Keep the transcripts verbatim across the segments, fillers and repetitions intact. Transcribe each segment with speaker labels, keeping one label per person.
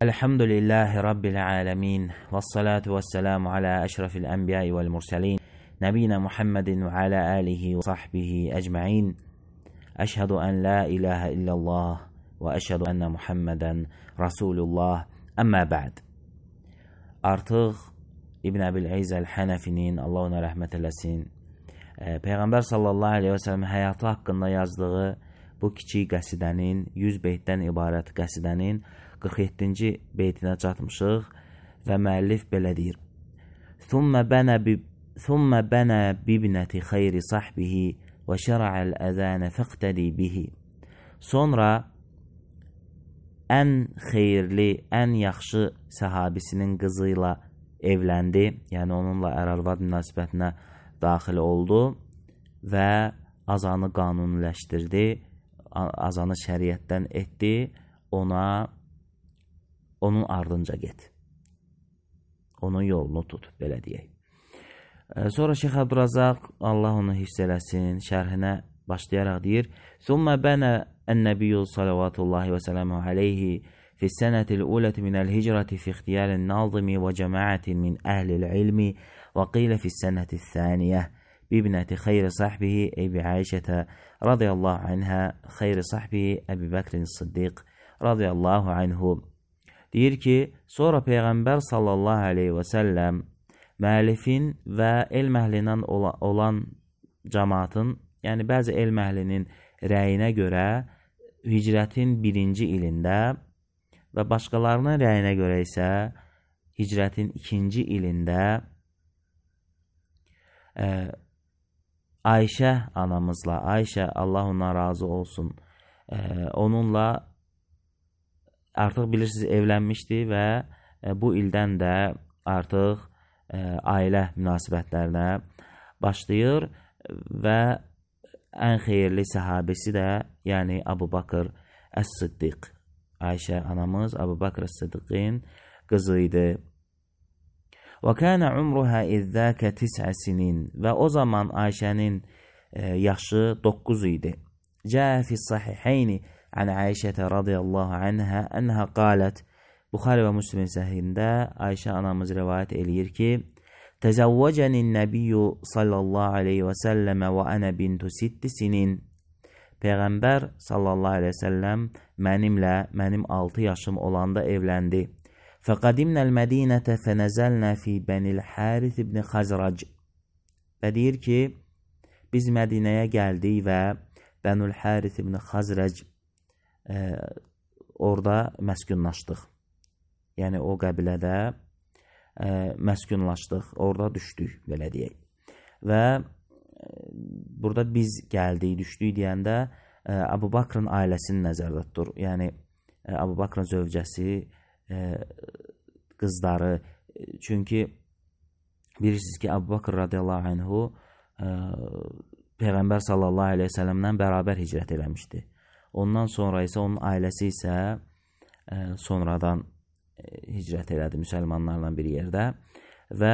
Speaker 1: Elhamdülillahi Rabbil alemin. Vessalatu vesselamu ala eşrefil enbiyai vel murselin. Nebina Muhammedin ve ala alihi ve sahbihi ecma'in. Eşhedü en la ilahe illallah ve eşhedü enne Muhammeden Resulullah. Amma ba'd. Artıq İbn Əbil-İz el-Hənəfinin, Allah ona rəhmət eləsin, Peyğəmbər sallallahu aleyhi və səlləm həyatı haqqında yazdığı bu kiçik qəsidənin, yüz beytdən ibarət qəsidənin qırx yeddinci beytinə çatmışıq və müəllif belə deyir. Thumma bana bi thumma bana bibnati xeyri sahbihi və şəra'al əzana faqtadi bihi. Sonra ən xeyirli, ən yaxşı səhabisinin qızı ilə evləndi, yəni onunla ər-arvad münasibətinə daxil oldu və azanı qanuniləşdirdi, azanı şəriətdən etdi, ona onun ardınca get. Onun yolunu tut, belə deyək. Sonra Şeyx Əbdurazaq, Allah onu hifz eləsin, şərhinə başlayaraq deyir: "Thumma bana en-nebiyyu sallallahu ve sellem aleyhi fi senetil ulati min el-hicrati fi ihtiyar'in nazimi ve cemaatin min ehli'l ilmi ve qila fi seneti thaniye bibneti khayri sahbihi Ebi Ayşe radıyallahu anha khayri sahbihi Ebu Bekr Sıddiq radıyallahu anhu." Deyir ki, sonra Peyğəmbər sallallahu aleyhi və səlləm müəllifin və elm əhlindən olan cəmaatın, yəni bəzi elm əhlinin rəyinə görə hicrətin birinci ilində və başqalarının rəyinə görə isə hicrətin ikinci ilində e, Ayşə anamızla, Ayşə Allah ona razı olsun, e, onunla artıq bilirsiniz evlənmişdi və e, bu ildən də artıq e, ailə münasibətlərinə başlayır və ən xeyirli səhabesi də, yəni Əbu Bakır Əs-Siddiq, Ayşə anamız Əbu Bakır Əs-Siddiqin qızı idi. Və kənə umruhə izzəkə tis'ə sinin, və o zaman Ayşənin e, yaşı doqquz idi. Cəə fis-sahiheyni an Ayşə radiyallahu anha enha qalet, Buxari və Müslim səhihində Ayşə anamız rivayət eləyir ki, Təzəvvəcənin nəbiyyu sallallahu aleyhi və səlləmə və ənə bintu sitti sinin. Peyğəmbər sallallahu aleyhi və səlləm mənimlə, mənim altı yaşım olanda evləndi. Fəqadimnəl mədinətə fənəzəlnə fi bənil Hərith ibn Xəzrac. Və deyir ki, biz Mədinəyə gəldik və Bənül Hərith ibn Xəzrac e, orada məskunlaşdıq. Yəni o qəbilədə e, məskunlaşdıq, orada düşdük, belə deyək. Və e, burada biz gəldik, düşdük deyəndə e, Əbu Bakrın ailəsini nəzərdə tutur. Yəni e, Əbu Bakrın zövcəsi, e, qızları. Çünki bilirsiniz ki, Əbu Bakr radiyallahu anhu e, Peyğəmbər sallallahu aleyhi ve səlləmdən bərabər hicrət eləmişdi. Ondan sonra isə onun ailəsi isə e, sonradan e, hicrət elədi müsəlmanlarla bir yerdə və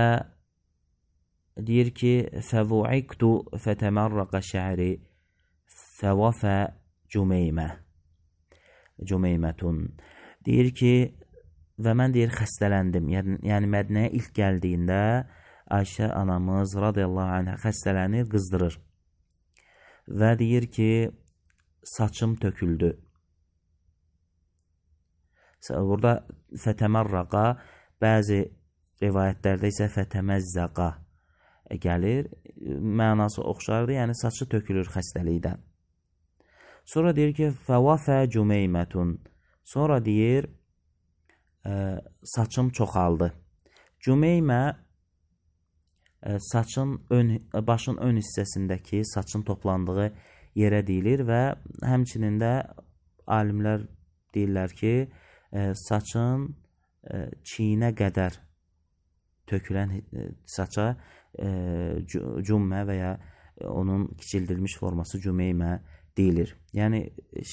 Speaker 1: deyir ki, fəvu'iktu fətəmərrəqə şəhri fəvəfə cümeymə cümeymətun. Deyir ki, və mən deyir xəstələndim. Yəni, yəni Mədinəyə ilk gəldiyində Ayşə anamız radiyallahu anhə xəstələnir, qızdırır. Və deyir ki, saçım töküldü. Burada fətəmərraqa, bəzi rivayətlərdə isə fətəməzzəqa gəlir. Mənası oxşardır, yəni saçı tökülür xəstəlikdən. Sonra deyir ki, fəvəfə cümeymətun. Sonra deyir, e, saçım çoxaldı. Cümeymə e, saçın ön, başın ön hissəsindəki saçın toplandığı yerə deyilir və həmçinin də alimlər deyirlər ki, e, saçın e, çiyinə qədər tökülən e, saça e, cümmə və ya onun kiçildilmiş forması cümeymə deyilir. Yəni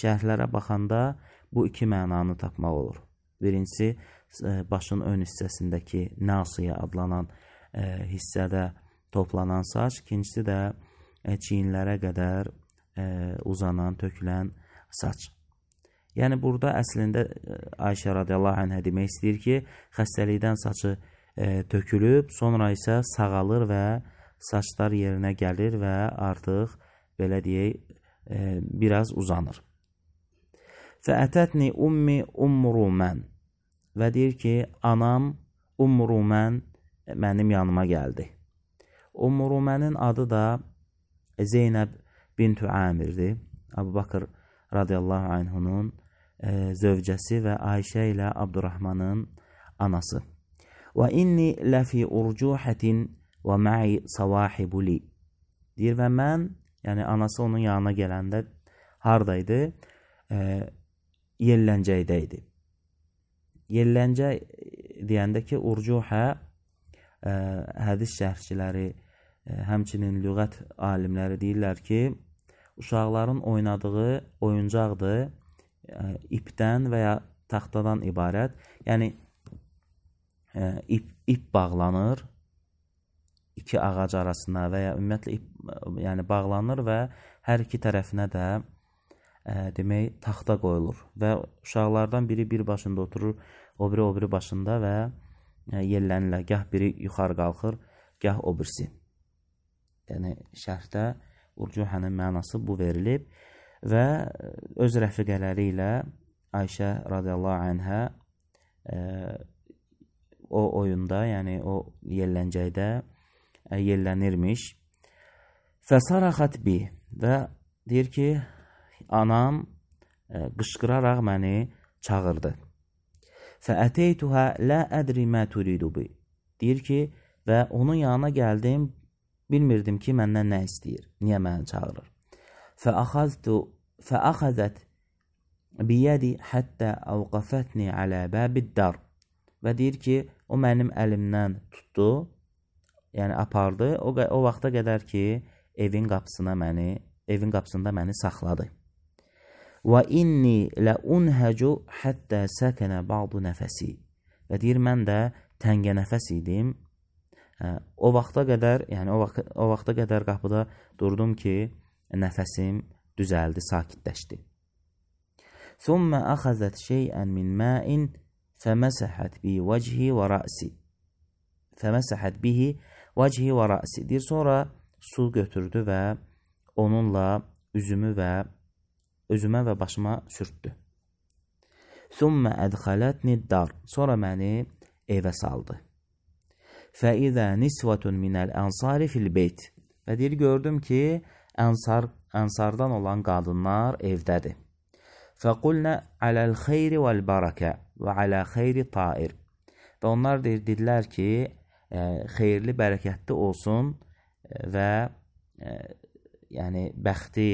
Speaker 1: şərhlərə baxanda bu iki mənanı tapmaq olur. Birincisi, e, başın ön hissəsindəki nasiyə adlanan e, hissədə toplanan saç, ikincisi də e, çiyinlərə qədər e, uzanan, tökülən saç. Yəni burada əslində Ayşə radiyallahu anhə demək istəyir ki, xəstəlikdən saçı e, tökülüb, sonra isə sağalır və saçlar yerinə gəlir və artıq belə deyək e, biraz uzanır. Fəətətni ummi Ummurumən və deyir ki, anam Ummurumən mənim yanıma gəldi. Ummurumənin adı da Zeynəb bintü Amirdir. Əbu Bakır radiyallahu anhunun e, zövcəsi və Ayşə ilə Abdurrahmanın anası. Və inni ləfi urcuhətin və mə'i savahibuli. Deyir və mən, yəni anası onun yanına gələndə haradaydı? E, Yelləncəkdə idi. Yelləncə deyəndə ki, urcuhə ə, hədis şərhçiləri, ə, həmçinin lüğət alimləri deyirlər ki, uşaqların oynadığı oyuncaqdır, ə, ipdən və ya taxtadan ibarət. Yəni ə, ip, ip bağlanır iki ağac arasına və ya ümumiyyətlə ip yəni bağlanır və hər iki tərəfinə də ə, demək taxta qoyulur və uşaqlardan biri bir başında oturur, o biri o biri başında və ə, yellənirlər. Gah biri yuxarı qalxır, gah o birisi. Yəni şərhdə urcuhənin mənası bu verilib və öz rəfiqələri ilə Ayşə radiyallahu anhə ə, o oyunda, yəni o yelləncəkdə ə, yellənirmiş. Fəsaraxat bi və deyir ki, anam ə, qışqıraraq məni çağırdı. Fəəteytuhə lə ədri mə turidu bi. Deyir ki, və onun yanına gəldim, bilmirdim ki, məndən nə istəyir, niyə məni çağırır. Fəəxəztu fəəxəzət biyədi həttə əvqəfətni alə bəbiddar. Və deyir ki, o mənim əlimdən tutdu, yəni apardı, o, o vaxta qədər ki, evin qapısına məni, evin qapısında məni saxladı. Və inni lə unhəcu həttə səkənə ba'du nəfəsi. Və deyir, mən də təngə nəfəs idim. Hə, o vaxta qədər, yəni o, vaxt, o vaxta qədər qapıda durdum ki, nəfəsim düzəldi, sakitləşdi. Thumma əxəzət şeyən min məin fəməsəhət bi vəchi və rəsi. Fəməsəhət bihi vəchi və rəsi. Deyir, sonra su götürdü və onunla üzümü və özümə və başıma sürtdü. Thumma ədxələtni dar. Sonra məni evə saldı. Fəizə nisvətun minəl ənsari fil beyt. Və deyir, gördüm ki, ənsar, ənsardan olan qadınlar evdədir. Fəqulnə aləl xeyri vəl barakə və alə xeyri tair. Və onlar deyir, dedilər ki, ə, xeyirli, bərəkətli olsun və ə, yəni bəxti,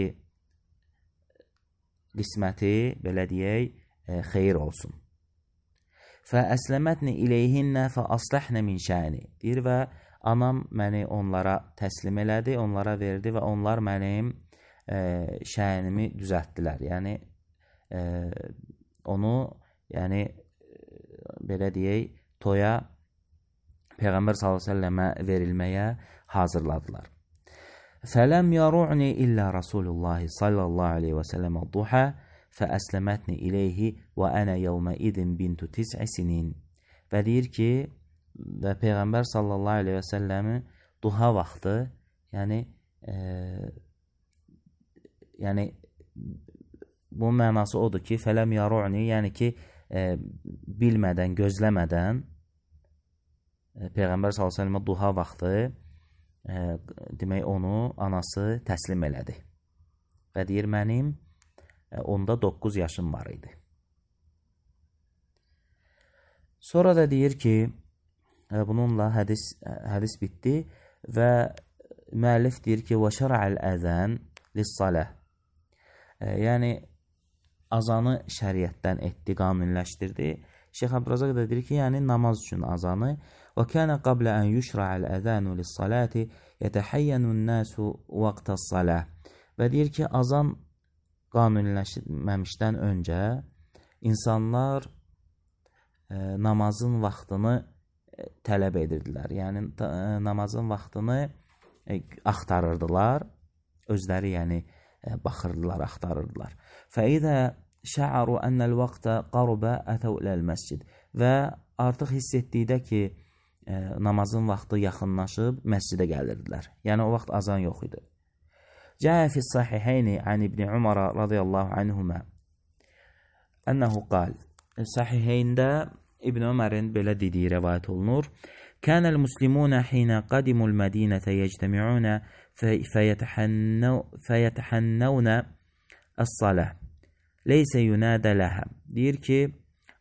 Speaker 1: qisməti, belə deyək, e, xeyir olsun. Fəəsləmətni iləyhinnə fəasləhnə min şəni. Deyir və anam məni onlara təslim elədi, onlara verdi və onlar mənim e, şənimi düzəltdilər. Yəni e, onu, yəni belə deyək, toya Peyğəmbər sallallahu əleyhi və səlləmə verilməyə hazırladılar. Fələm yaru'ni illə Rasulullah sallallahu aleyhi və səlləm duhə fəəsləmətni iləyhi və ənə yevmə idin bintu tis'i sinin. Və deyir ki, və Peyğəmbər sallallahu aleyhi və səlləmi duha vaxtı, yəni e, yəni bu mənası odur ki, fələm yaru'ni, yəni ki, e, bilmədən, gözləmədən e, Peyğəmbər sallallahu aleyhi və səlləmə duha vaxtı E, demək onu anası təslim elədi. Və deyir, mənim e, onda doqquz yaşım var idi. Sonra da deyir ki, e, bununla hədis, hədis bitdi və müəllif deyir ki, və şərə'əl əzən lissaləh. E, yəni, azanı şəriətdən etdi, qanunləşdirdi. Şeyx Əbdürazaq da deyir ki, yəni namaz üçün azanı. Və kənə qablə ən yüşra'əl əzənu lissaləti yətəhayyənun nəsu vaqtəs-saləh. Və deyir ki, azan qanunləşməmişdən öncə insanlar e, namazın vaxtını e, tələb edirdilər. Yəni e, namazın vaxtını e, axtarırdılar. Özləri yəni e, baxırdılar, axtarırdılar. Fəidə şə'aru ənəl vaqtə qarubə ətəv iləl məscid. Və artıq hiss etdikdə ki, e, namazın vaxtı yaxınlaşıb, məscidə gəlirdilər. Yəni, o vaxt azan yox idi. Cəə fis sahihəyni ən İbn Umar radiyallahu anhumə ənəhu qal. Sahihəyndə İbn Ömərin belə dediyi rəvayət olunur. Kənəl muslimunə hinə qadimul mədinətə yectəmi'unə fəyətəhənnəvnə əs-saləh. Leysə yunadə ləhə. Deyir ki,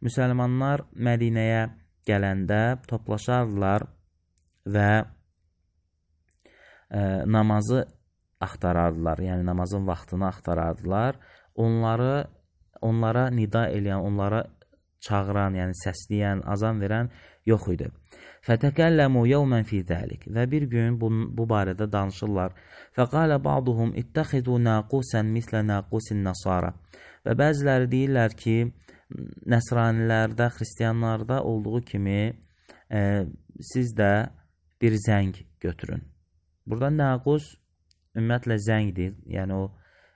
Speaker 1: müsəlmanlar Mədinəyə gələndə toplaşardılar və e, namazı axtarardılar. Yəni, namazın vaxtını axtarardılar. Onları, onlara nida eləyən, onlara çağıran, yəni səsləyən, azan verən yox idi. Fətəkəlləmu yevmən fi zəlik. Və bir gün bu, bu barədə danışırlar. Fəqalə ba'duhum ittəxidu naqusən mislə naqusin nasara. Və bəziləri deyirlər ki, nəsranilərdə, xristiyanlarda olduğu kimi e, siz də bir zəng götürün. Burada naqus ümumiyyətlə zəngdir. Yəni o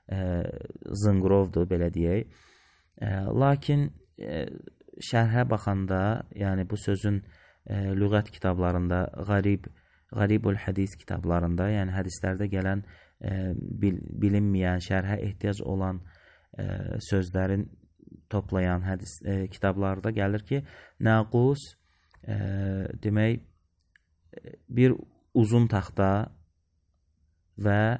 Speaker 1: e, zınqrovdur, belə deyək. E, lakin e, şərhə baxanda, yəni bu sözün e, lüğət kitablarında, qarib, qaribul hədis kitablarında, yəni hədislərdə gələn e, bil, bilinməyən, şərhə ehtiyac olan e, sözlərin toplayan hədis e, kitablarda gəlir ki, naqus e, demək bir uzun taxta və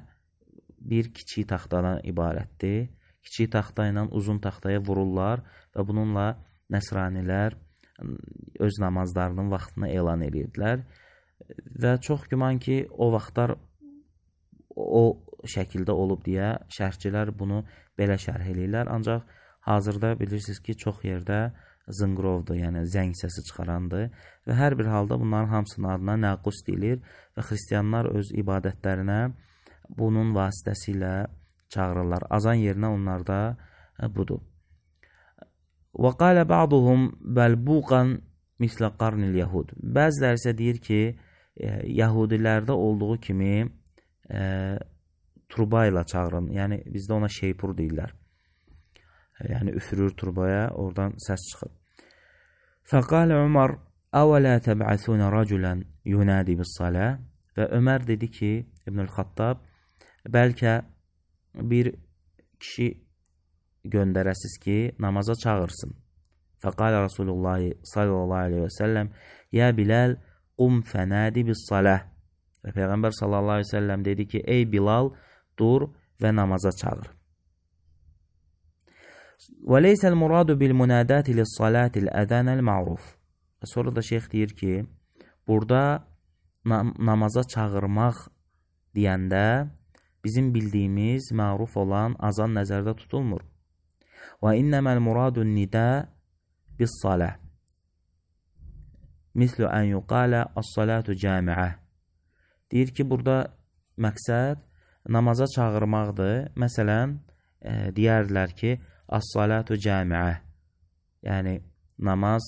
Speaker 1: bir kiçik taxtadan ibarətdir. Kiçik taxta ilə uzun taxtaya vururlar və bununla nəsranilər öz namazlarının vaxtını elan edirdilər. Və çox güman ki, o vaxtlar o şəkildə olub deyə şərhçilər bunu belə şərh edirlər. Ancaq hazırda bilirsiniz ki, çox yerdə zınqrovdur, yəni zəng səsi çıxarandır və hər bir halda bunların hamısının adına naqus deyilir və xristiyanlar öz ibadətlərinə bunun vasitəsilə çağırırlar. Azan yerinə onlarda budur. Və qalə ba'duhum bəlbuqan mislə qarnil yahud. Bəziləri isə deyir ki, e, yahudilərdə olduğu kimi e, turba ilə çağırın. Yəni bizdə ona şeypur deyirlər. Yəni üfürür turbaya, oradan səs çıxır. Fəqalə Umar əvələ təb'əthunə rəculən yunadi bis-salə. Və Ömər dedi ki, İbnül-Xattab, bəlkə bir kişi göndərəsiz ki, namaza çağırsın. Fəqalə Rasulullah sallallahu aleyhi və səlləm, ya Bilal, qum fənadi bis-saləh. Və Peyğəmbər sallallahu aleyhi və səlləm dedi ki, ey Bilal, dur və namaza çağır. Və leysəl muradu bil munadati lis-salati l-əzənəl ma'ruf. Və sonra da şeyx deyir ki, burada nam namaza çağırmaq deyəndə bizim bildiyimiz məruf olan azan nəzərdə tutulmur. Və innəməl muradun nida bis-salah. Mislu ən yuqalə as-salatu camiə. Deyir ki, burada məqsəd namaza çağırmaqdır. Məsələn, e, deyərlər ki, as-salatu camiə. Yəni, namaz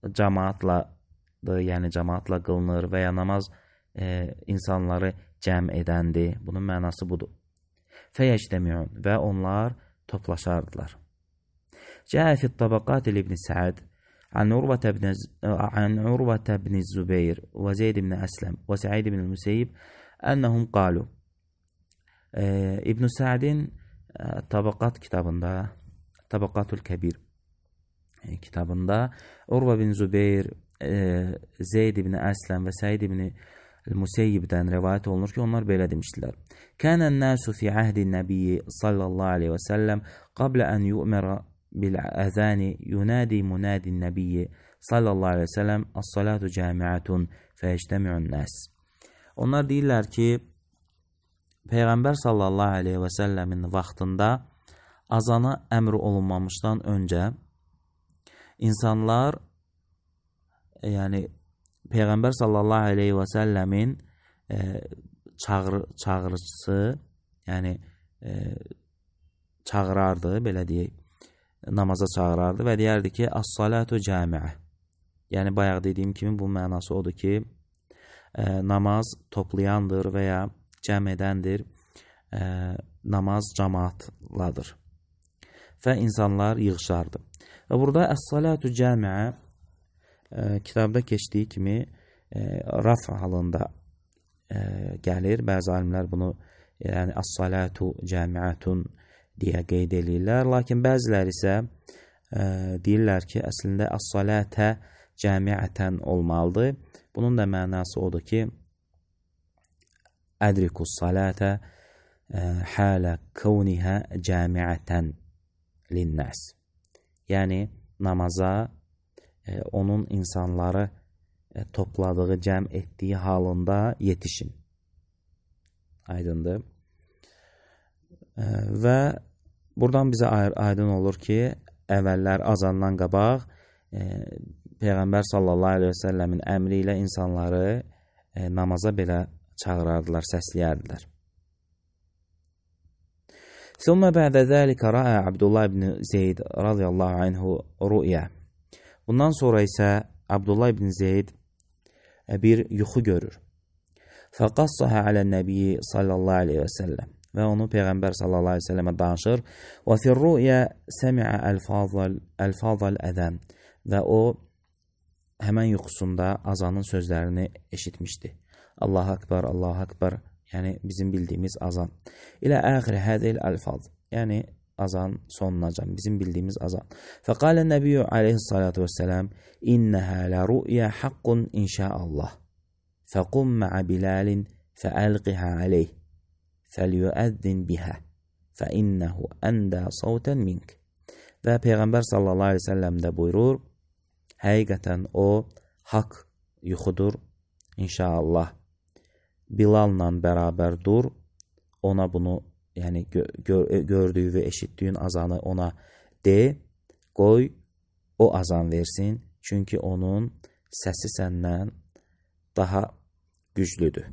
Speaker 1: cəmaatladır, yəni cəmaatla qılınır və ya namaz e, insanları cəm edəndir. Bunun mənası budur. Fəyəcdəmiun və onlar toplaşardılar. Cəə fit tabaqat ibn Səad an Urvətə ibn Zübeyir və Zeyd ibn Əsləm və Səid ibn Müseyyib ənəhum qalu. İbn Səadin tabaqat kitabında, Tabaqatul Kəbir kitabında Urvə ibn Zübeyir, Zeyd ibn Əsləm və Səid ibn Müseyyibdən rəvayət olunur ki, onlar belə demişdilər. Kənən nəsu fi əhdin nəbiyyi sallallahu aleyhi və səlləm qablə ən yu'mərə bil-əzəni yunadi munadin nəbiyyi sallallahu aleyhi və səlləm as-salatu camiətun fəyəcdəmi'un nəs. Onlar deyirlər ki, Peyğəmbər sallallahu aleyhi və səlləmin vaxtında azana əmr olunmamışdan öncə insanlar, yəni Peyğəmbər sallallahu aleyhi və səlləmin e, çağır, çağırıcısı, yəni e, çağırardı, belə deyək, namaza çağırardı və deyərdi ki, as-salatu camiə. Yəni, bayaq dediyim kimi bu mənası odur ki, e, namaz toplayandır və ya cəm edəndir, e, namaz cəmaatladır. və insanlar yığışardı. Və burada əs-salatu camiə e, kitabda keçdiyi kimi e, raf halında e, gəlir. Bəzi alimlər bunu yəni əs-salatu camiətun deyə qeyd edirlər. Lakin bəziləri isə e, deyirlər ki, əslində əs-salətə camiətən olmalıdır. Bunun da mənası odur ki, ədrikus salətə halə kavnihə camiətən linnəs. Yəni, namaza e, onun insanları e, topladığı, cəm etdiyi halında yetişin. Aydındır. E, və buradan bizə aydın olur ki, əvvəllər azandan qabaq e, Peyğəmbər sallallahu aleyhi və səlləmin əmri ilə insanları e, namaza belə çağırardılar, səsləyərdilər. ثم بعد ذلك رأى عبد الله بن Zeyd radiyallahu anhu rüya. Bundan sonra isə Abdullah ibn Zeyd bir yuxu görür. فقصها على النبي sallallahu aleyhi və səlləm və onu Peyğəmbər sallallahu aleyhi və səlləmə danışır. وفي الرؤيا سمع ألفاظ ألفاظ الأذان və o həmən yuxusunda azanın sözlərini eşitmişdi. Allahu Akbar, Allahu Akbar. Yəni, bizim bildiyimiz azan. İlə əxir hədil əlfaz. Yəni, azan sonunacan. Bizim bildiyimiz azan. Fəqalə nəbiyyü aleyhissalatu vəssələm İnnəhə lə rü'yə haqqun inşaallah. Fəqum mə'ə bilalin fəəlqihə aleyh. Fəliyüəzzin bihə. Fəinnəhu əndə savtən mink. Və Peyğəmbər sallallahu aleyhi ve səlləm də buyurur, həqiqətən o haqq yuxudur inşaallah. Bilal'la bərabər dur, ona bunu, yəni gör, gördüyü və eşitdiyin azanı ona de, qoy, o azan versin, çünki onun səsi səndən daha güclüdür.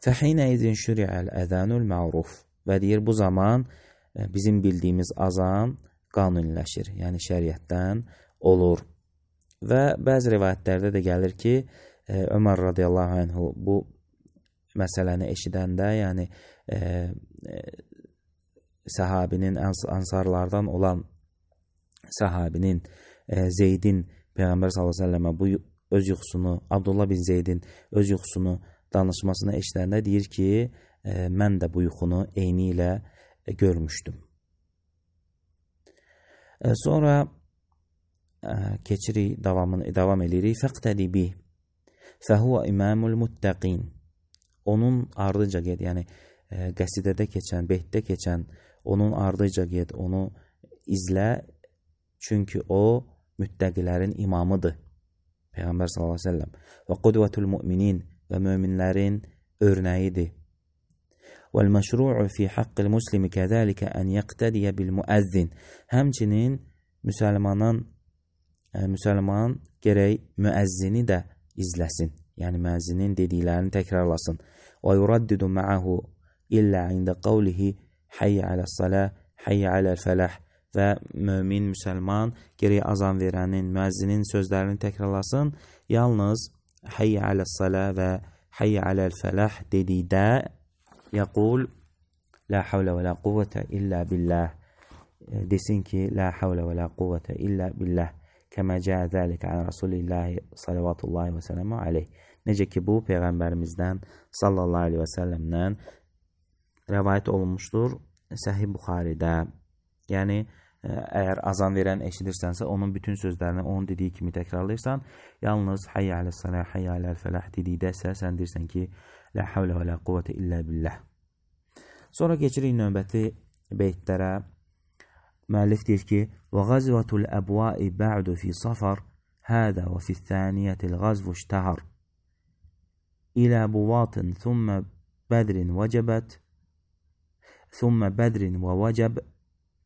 Speaker 1: Fəhinə izin şüri'əl əzənül ma'ruf və deyir, bu zaman bizim bildiyimiz azan qanuniləşir, yəni şəriətdən olur. Və bəzi rivayətlərdə də gəlir ki, Ömər radiyallahu anhu bu məsələni eşidəndə, yəni e, e, səhabinin, ansarlardan olan səhabinin e, Zeydin Peyğəmbər sallallahu əleyhi və səlləmə bu öz yuxusunu, Abdullah bin Zeydin öz yuxusunu danışmasını eşidəndə deyir ki, e, mən də bu yuxunu eyni ilə e, görmüşdüm. E, sonra e, keçirik, davamını, davam edirik. Fəqtədi bih. Fəhuvə imamul muttəqin. Onun ardıca ged, yəni e, qəsidədə keçən, beytdə keçən, onun ardıca ged, onu izlə, çünki o müttəqilərin imamıdır. Peyğəmbər sallallahu əleyhi və səlləm. Və qudvətul müminin və möminlərin örnəyidir. Vəl məşru'u fi haqqil muslimi kəzəlikə ən yəqtədiyə bil müəzzin. Həmçinin müsəlmanın, e, müsəlman gərək müəzzini də izləsin. Yəni müəzzinin dediklərini təkrarlasın. Və yuraddidu ma'ahu illə ində qavlihi hayyə aləs-salah, hayyə aləl-fəlah. Və mömin, müsəlman gərək azan verənin, müəzzinin sözlərini təkrarlasın. Yalnız hayyə aləs-salah və hayyə aləl-fəlah dedikdə yəqul la havlə və la quvvətə illə billah. Desin ki, la havlə və la quvvətə illə billah. Kəmə cəə zəlikə ən Rasulillahi salavatullahi və sələmü aleyh. Necə ki, bu Peyğəmbərimizdən sallallahu aleyhi və səlləmdən rəvayət olunmuşdur Səhih Buxaridə. Yəni, əgər azan verən eşidirsənsə, onun bütün sözlərini onun dediyi kimi təkrarlayırsan, yalnız hayyə aləs-salah, hayyə aləl-fəlah dedikdə isə sən deyirsən ki, la havlə və la quvvətə illə billah. Sonra keçirik növbəti beytlərə. Müəllif deyir ki, وَغَزْوَةُ الْأَبْوَاءِ بَعْدُ فِي صَفَرْ هَذَا وَفِي الثَّانِيَةِ الْغَزْوُ اشْتَهَرْ إِلَى بُوَاطٍ ثُمَّ بَدْرٍ وَجَبَتْ ثُمَّ بَدْرٍ وَوَجَبْ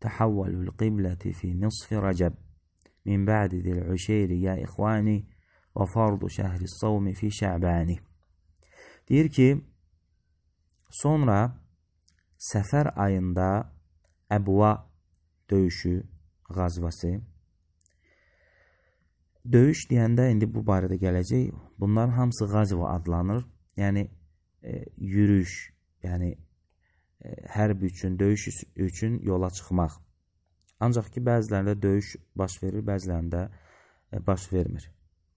Speaker 1: تَحَوَّلُ الْقِبْلَةِ فِي نِصْفِ رَجَبْ مِنْ بَعْدِ ذِي الْعُشَيْرِ يَا إِخْوَانِ وَفَرْضُ شَهْرِ الصَّوْمِ فِي شَعْبَانِ. Deyir ki, sonra Səfər ayında Əbva döyüşü, qazvası. Döyüş deyəndə indi bu barədə gələcək. Bunların hamısı qazva adlanır. Yəni e, yürüyüş, yəni hərb üçün, döyüş üçün yola çıxmaq. Ancaq ki, bəzilərində döyüş baş verir, bəzilərində baş vermir.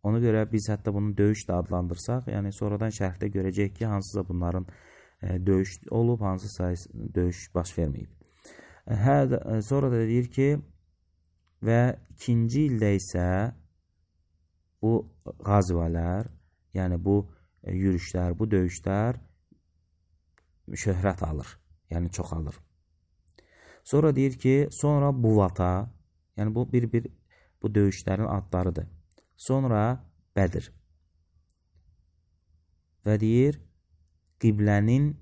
Speaker 1: Ona görə biz hətta bunu döyüş də adlandırsaq, yəni sonradan şərhdə görəcəyik ki, hansısa bunların döyüş olub, hansısa döyüş baş verməyib. Hə, sonra da deyir ki, və ikinci ildə isə bu qazvalər, yəni bu yürüşlər, bu döyüşlər şöhrət alır, yəni çoxalır. Sonra deyir ki, sonra Buvata, yəni bu bir-bir bu döyüşlərin adlarıdır. Sonra Bədir. Və deyir, qiblənin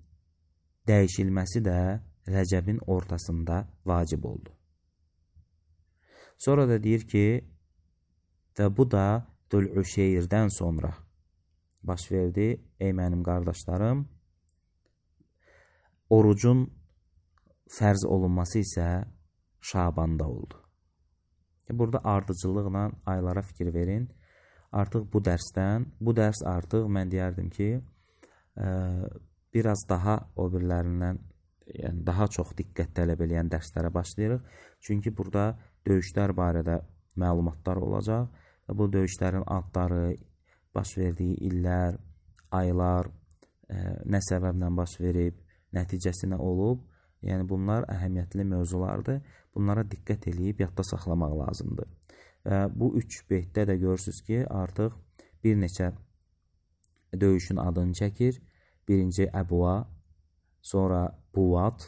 Speaker 1: dəyişilməsi də Rəcəbin ortasında vacib oldu. Sonra da deyir ki, və bu da Dülüşeyrdən sonra baş verdi. Ey mənim qardaşlarım, orucun fərz olunması isə Şabanda oldu. Burada ardıcıllıqla aylara fikir verin. Artıq bu dərsdən, bu dərs artıq mən deyərdim ki, ə, biraz daha o birlərindən, yəni daha çox diqqət tələb edən dərslərə başlayırıq. Çünki burada döyüşlər barədə məlumatlar olacaq və bu döyüşlərin adları, baş verdiyi illər, aylar, ə, nə səbəblə baş verib, nəticəsi nə olub, yəni bunlar əhəmiyyətli mövzulardır. Bunlara diqqət eləyib yadda saxlamaq lazımdır. Və bu üç beytdə də görürsünüz ki, artıq bir neçə döyüşün adını çəkir. Birinci Əbva, sonra Buvat,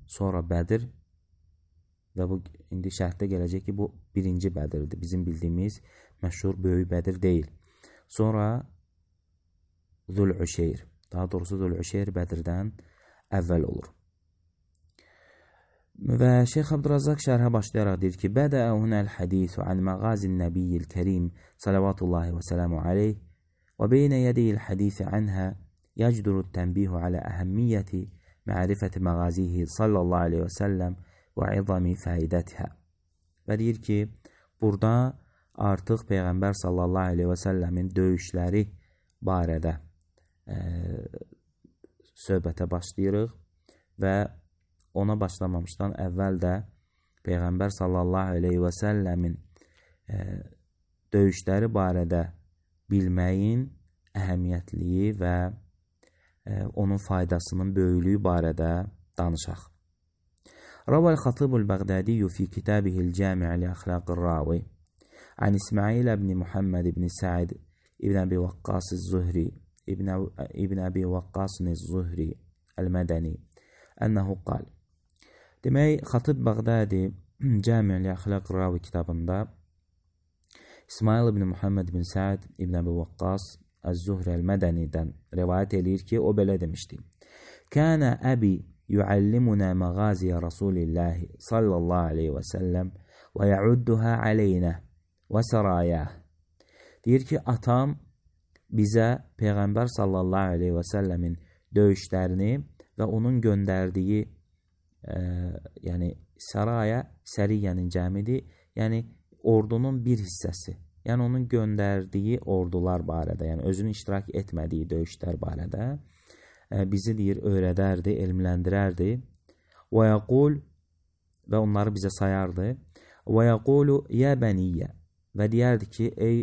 Speaker 1: sonra Bədir və bu indi şərhdə gələcək ki, bu birinci Bədirdir. Bizim bildiyimiz məşhur böyük Bədir deyil. Sonra Zülüşeyr, daha doğrusu Zülüşeyr Bədirdən əvvəl olur. Və Şeyx Abdurrazzaq şərhə başlayaraq deyir ki, Bədə hunəl hədisu an məğazin nəbiyyil kərim salavatullahi və sələmu aleyh və beynə yədiyil hədisi anhə yəcduru tənbihu alə əhəmmiyyəti mərifəti məğazihi sallallahu aleyhi və səlləm və izami fəidətihə. Və deyir ki, burada artıq Peyğəmbər sallallahu aleyhi və səlləmin döyüşləri barədə e, söhbətə başlayırıq və ona başlamamışdan əvvəl də Peyğəmbər sallallahu aleyhi və səlləmin e, döyüşləri barədə bilməyin əhəmiyyətliyi və e, onun faydasının böyüklüyü barədə danışaq. Ravəl Xatibul Bəğdədiyyu fi kitabihil cami' li əxlaqir ravi an İsmail ibn Muhammed ibn Sa'id ibn Abi Waqqas az-Zuhri ibn, ibn Abi Waqqas az-Zuhri el-Mədəni ənəhu qal. Demək, Xatib Bəğdədi Cami' li Əxlaqir Ravi kitabında İsmail ibn Muhammed ibn Sa'id ibn Abi Waqqas az-Zuhri el-Mədənidən rivayət eləyir ki, o belə demişdi. Kənə əbi yuallimunə məğaziyə Rasulillahi sallallahu aleyhi və səlləm və yəudduhə aleynə və sərayəh. Deyir ki, atam bizə Peyğəmbər sallallahu aleyhi və səlləmin döyüşlərini və onun göndərdiyi e, yəni səraya, səriyyənin cəmidir, yəni ordunun bir hissəsi, yəni onun göndərdiyi ordular barədə, yəni özünün iştirak etmədiyi döyüşlər barədə e, bizi deyir, öyrədərdi, elmləndirərdi. Və yəqul, və onları bizə sayardı. Və yəqulu yə bəniyyə, və deyərdi ki, ey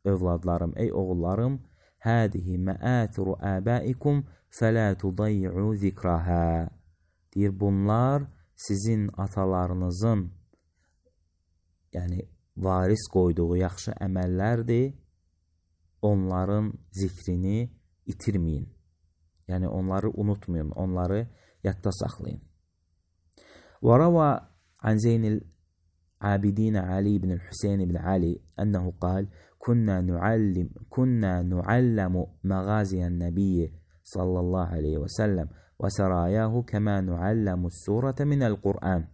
Speaker 1: övladlarım, ey oğullarım, hədihi məətiru əbəikum fələ tudayyu zikrahə. Deyir, bunlar sizin atalarınızın yəni varis qoyduğu yaxşı əməllərdir, onların zikrini itirməyin. Yəni onları unutmayın, onları yadda saxlayın. Və rava an Zeynil Abidin Ali ibn Hüseyin ibn Ali ənəhu qal, Kunna nuallim, kunna nuallamu məğaziyən nəbiyyə sallallahu aleyhi və səlləm və sərayəhu kəmə nuallamu surətə minəl Qur'an.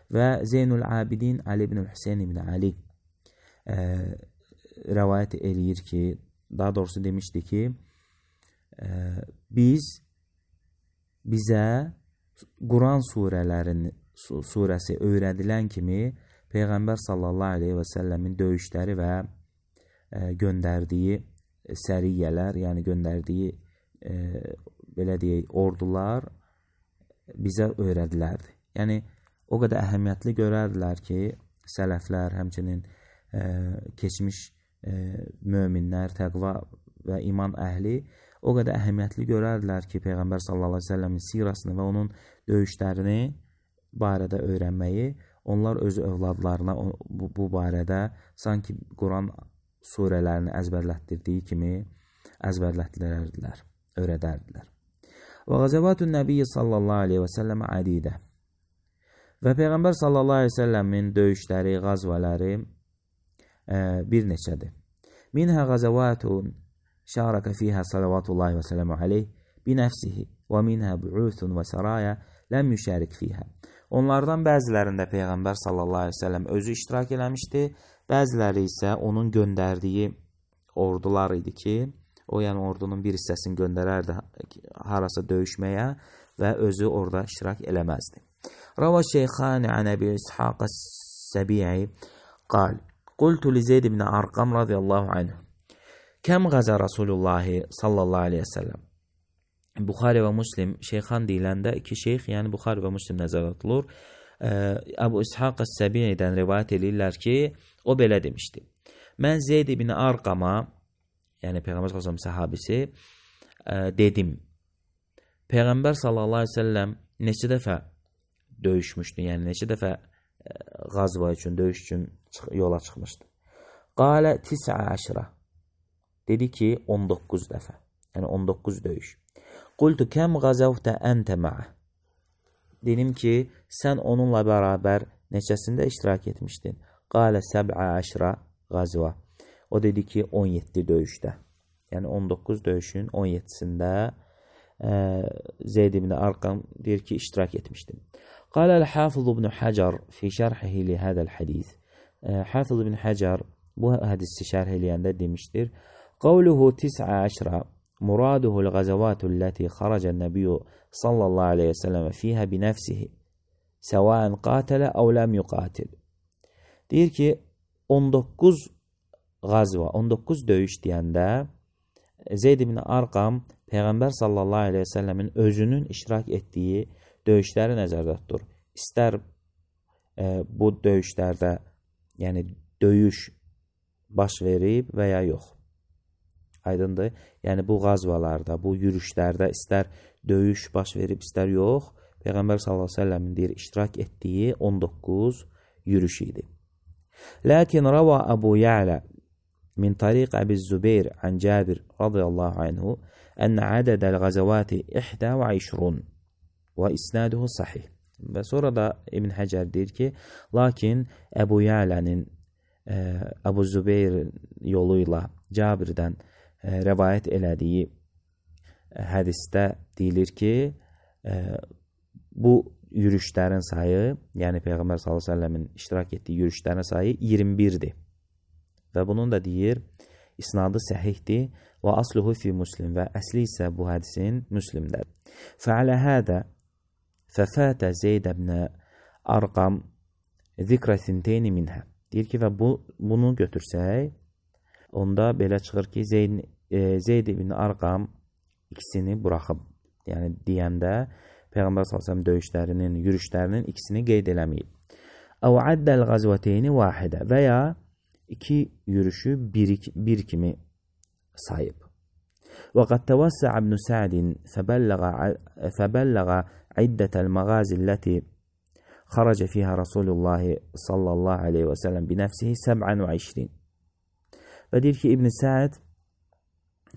Speaker 1: Və Zeynul Abidin Ali ibn Hüseyin ibn Ali e, rəvayət eləyir ki, daha doğrusu demişdi ki, e, biz bizə Quran surələrin surəsi öyrədilən kimi Peyğəmbər sallallahu aleyhi və səlləmin döyüşləri və e, göndərdiyi səriyyələr, yəni göndərdiyi e, belə deyək, ordular bizə öyrədilərdi. Yəni, o qədər əhəmiyyətli görərdilər ki, sələflər, həmçinin e, keçmiş e, möminlər, təqva və iman əhli o qədər əhəmiyyətli görərdilər ki, Peyğəmbər sallallahu əleyhi və səlləmin sirasını və onun döyüşlərini barədə öyrənməyi, onlar öz övladlarına bu, bu barədə sanki Quran surələrini əzbərlətdirdiyi kimi əzbərlətdirərdilər, öyrədərdilər. Və Qazavatun Nəbiyyi sallallahu əleyhi və səlləm adidə. Və Peyğəmbər sallallahu əleyhi və səlləmin döyüşləri, qazvaları e, bir neçədir. Minhə qazavatun şərəkə fiyhə salavatullahi və sələmu aleyh binəfsihi və minhə bu'uthun və saraya ləm yüşərik fiyhə. Onlardan bəzilərində Peyğəmbər sallallahu əleyhi və səlləm özü iştirak eləmişdi, bəziləri isə onun göndərdiyi ordular idi ki, o yəni ordunun bir hissəsini göndərərdi harasa döyüşməyə və özü orada iştirak eləməzdi. Rava Şeyxani an Əbi İshaq Səbi'i qal, qultu li Zeyd ibn Arqam radiyallahu anh, kəm qaza Rasulullahi sallallahu aleyhi və səlləm. Buxari və Müslim, Şeyxan deyiləndə iki şeyx, yəni Buxari və Müslim nəzərdə tutulur. Əbu İshaq Səbi'dən rivayət edirlər ki, o belə demişdi. Mən Zeyd ibn Arqama, yəni Peyğəmbər sallallahu əleyhi və səlləm səhabisi, dedim. Peyğəmbər sallallahu əleyhi və səlləm neçə dəfə döyüşmüşdü, yəni neçə dəfə qazva üçün, döyüş üçün yola çıxmışdı. Qalə tis'a əşrə. Dedi ki, on doqquz dəfə. Yəni on doqquz döyüş. Qultu kəm qazavtə əntə mə'ə. Dedim ki, sən onunla bərabər neçəsində iştirak etmişdin? Qalə səb'ə əşrə qazva. O dedi ki, on yeddi döyüşdə. Yəni on doqquz döyüşün on yeddisində Zeyd ibn Arqam deyir ki, iştirak etmişdim. Qalə el-Hafız ibn Hacar fi şərhihi li hədəl hədis. Hafız ibn Hacar bu hədisi şərh eləyəndə demişdir. Qavluhu tis'a əşrə muraduhu l-qazavatu ləti xaracən nəbiyyu sallallahu aleyhi və səlləm fiyhə binəfsihi səvən qatələ əv ləm yuqatil. Deyir ki, on doqquz qazva, on doqquz döyüş deyəndə Zeyd ibn Arqam Peyğəmbər sallallahu aleyhi və səlləmin özünün iştirak etdiyi döyüşləri nəzərdə tutur. İstər e, bu döyüşlərdə, yəni döyüş baş verib və ya yox. Aydındır? Yəni bu qazvalarda, bu yürüşlərdə istər döyüş baş verib, istər yox, Peyğəmbər sallallahu aleyhi və səlləmin deyir, iştirak etdiyi on doqquz yürüş idi. Lakin rava Əbu Ya'la min tariq Əbi Zübeyr an Cabir radiyallahu anhu ən ədədəl qazavati ixdə və işrun və isnaduhu sahih. Və sonra da İbn Həcər deyir ki, lakin Əbu Ya'lənin Əbu Zübeyr yolu ilə Cabirdən rəvayət elədiyi hədisdə deyilir ki, bu yürüşlərin sayı, yəni Peyğəmbər sallallahu əleyhi və səlləmin iştirak etdiyi yürüşlərin sayı iyirmi birdir. Və bunun da deyir, isnadı səhihdir və asluhu fi Müslim və əsli isə bu hədisin Müslimdədir. Fəalə hədə fəfətə Zeyd ibn Arqam zikrə sinteyni minhə. Deyir ki, və bu, bunu götürsək, onda belə çıxır ki, Zeyd, e, Zeyd ibn Arqam ikisini buraxıb. Yəni, deyəndə Peyğəmbər sallallahu əleyhi və səlləm döyüşlərinin, yürüşlərinin ikisini qeyd eləməyib. Əv əddəl qazvəteyni vahidə və ya iki yürüşü bir, bir kimi sayıb. Və qad təvəssəə İbn Sa'din fəbəlləğə iddətəl məğazi ləti xaracə fiyhə Rasulullah sallallahu aleyhi və səlləm binəfsihi səb'ən və işrin. Və deyir ki, İbn Sa'd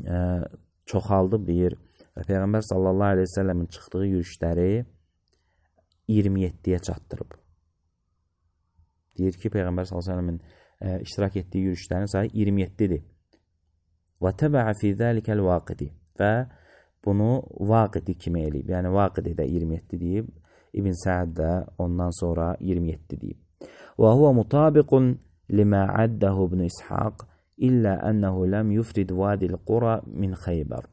Speaker 1: ə, çoxaldıb deyir və Peyğəmbər sallallahu aleyhi və səlləmin çıxdığı yürüşləri iyirmi yeddiyə çatdırıb. Deyir ki, Peyğəmbər sallallahu aleyhi və səlləmin ə, iştirak etdiyi yürüşlərin sayı iyirmi yeddidir. Və təbəə fi zəlikəl vaqidi və bunu vaqidi kimi eləyib. Yəni, vaqidi də iyirmi yeddi deyib. İbn Sa'd də ondan sonra iyirmi yeddi deyib. Və huvə mutabiqun limə əddəhu İbn İshaq illə ənəhu ləm yufrid vadil qura min Xeybər.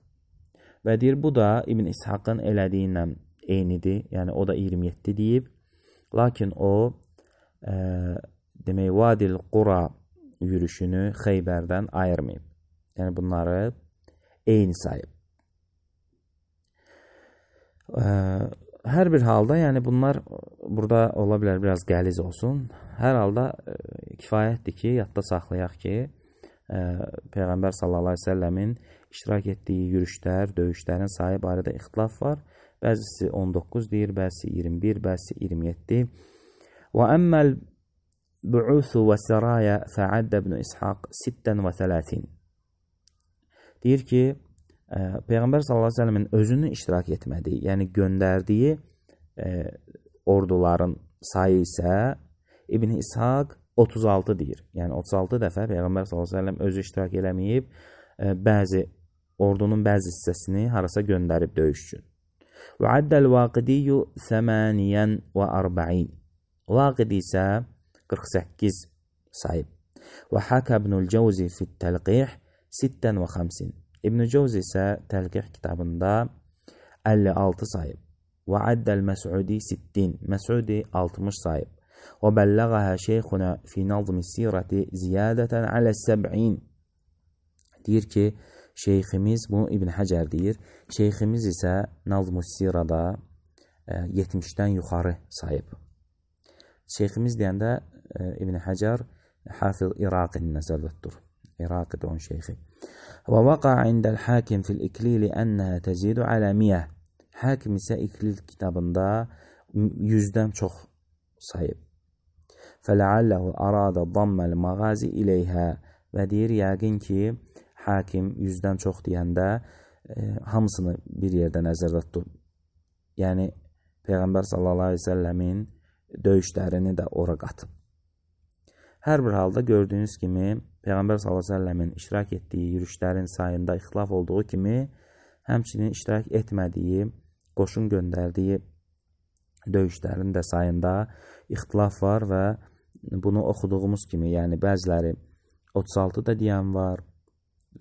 Speaker 1: Və deyir, bu da İbn İshaqın elədiyindən eynidir. Yəni, o da iyirmi yeddi deyib. Lakin o, ə, demək, vadil qura yürüşünü Xeybərdən ayırmayıb. Yəni, bunları eyni sayıb. Hər bir halda, yəni bunlar burada ola bilər biraz qəliz olsun. Hər halda e, kifayətdir ki, yadda saxlayaq ki, e, Peyğəmbər sallallahu əleyhi və səlləmin iştirak etdiyi yürüşlər, döyüşlərin sayı barədə ixtilaf var. Bəzisi on doqquz deyir, bəzisi iyirmi bir, bəzisi iyirmi yeddi. Və əmməl bu'usu və səraya fəaddə ibn İshaq sittən və thələtin. Deyir ki, e, Peyğəmbər sallallahu əleyhi və səlləmin özünün iştirak etmədiyi, yəni göndərdiyi e, orduların sayı isə İbn İshaq otuz altı deyir. Yəni otuz altı dəfə Peyğəmbər sallallahu əleyhi və səlləm özü iştirak eləməyib, e, bəzi ordunun bəzi hissəsini harasa göndərib döyüş üçün. Və addəl Vaqidiyyu səmaniyən və arba'in. Vaqidi isə qırx səkkiz sayıb. Və Həkə ibnül Cəvzi fit təlqih sittən və xəmsin. İbn-i Cəvzi isə təlqih kitabında əlli altı sayıb. Və addəl Məsudi sittin. Məsudi altmış sayıb. Və bəlləğəhə şeyxuna fi nazmi sirəti ziyadətən alə səb'in. Deyir ki, şeyximiz, bunu İbn Həcər deyir, şeyximiz isə nazm-ı sirada yetmişdən yuxarı sayıb. Şeyximiz deyəndə e, İbn Həcər Hafiz İraqini nəzərdə tutur. İraqi də onun şeyxi. Və vaqa indəl hakim fil iklili ənəhə təzidu alə miyyə. Hakim isə İklil kitabında yüzdən çox sayıb. Fələalləhu arada damməl mağazi iləyhə. Və deyir, yəqin ki, hakim yüzdən çox deyəndə e, hamısını bir yerdə nəzərdə tutur. Yəni, Peyğəmbər sallallahu əleyhi və səlləmin döyüşlərini də ora qatıb. Hər bir halda gördüyünüz kimi, Peyğəmbər sallallahu əleyhi və səlləmin iştirak etdiyi yürüşlərin sayında ixtilaf olduğu kimi, həmçinin iştirak etmədiyi, qoşun göndərdiyi döyüşlərin də sayında ixtilaf var və bunu oxuduğumuz kimi, yəni bəziləri otuz altı da deyən var,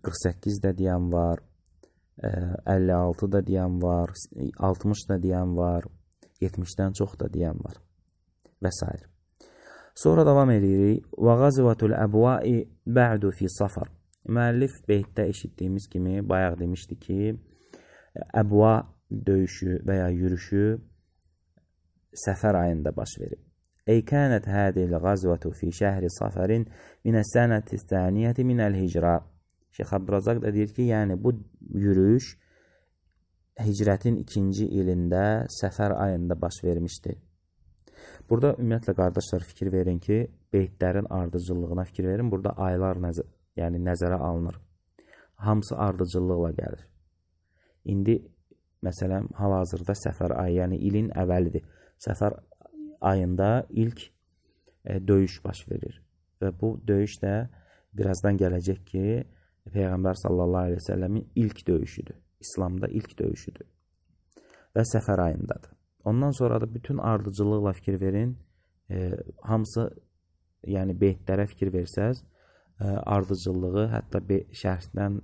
Speaker 1: qırx səkkiz də deyən var, əlli altı da deyən var, altmış da deyən var, yetmişdən çox da deyən var və s. Sonra davam edirik. Və qazvatul əbvai bə'du fi safar. Müəllif beytdə eşitdiyimiz kimi bayaq demişdi ki, əbva döyüşü və ya yürüşü səfər ayında baş verib. Ey kənət hədil qazvatu fi şəhri safarin minəs sənəti saniyyəti minəl hicra. Şeyx Abdurazaq da deyir ki, yəni bu yürüyüş hicrətin ikinci ilində səfər ayında baş vermişdir. Burada ümumiyyətlə qardaşlar fikir verin ki, beytlərin ardıcıllığına fikir verin. Burada aylar nəzər, yəni nəzərə alınır. Hamısı ardıcıllıqla gəlir. İndi məsələn hal-hazırda səfər ayı, yəni ilin əvvəlidir. Səfər ayında ilk e, döyüş baş verir. Və bu döyüş də birazdan gələcək ki, Peyğəmbər sallallahu əleyhi və səlləmin ilk döyüşüdür. İslamda ilk döyüşüdür. Və səfər ayındadır. Ondan sonra da bütün ardıcıllıqla fikir verin. E, hamısı, yəni beytlərə fikir versəz, e, ardıcıllığı, hətta şərhdən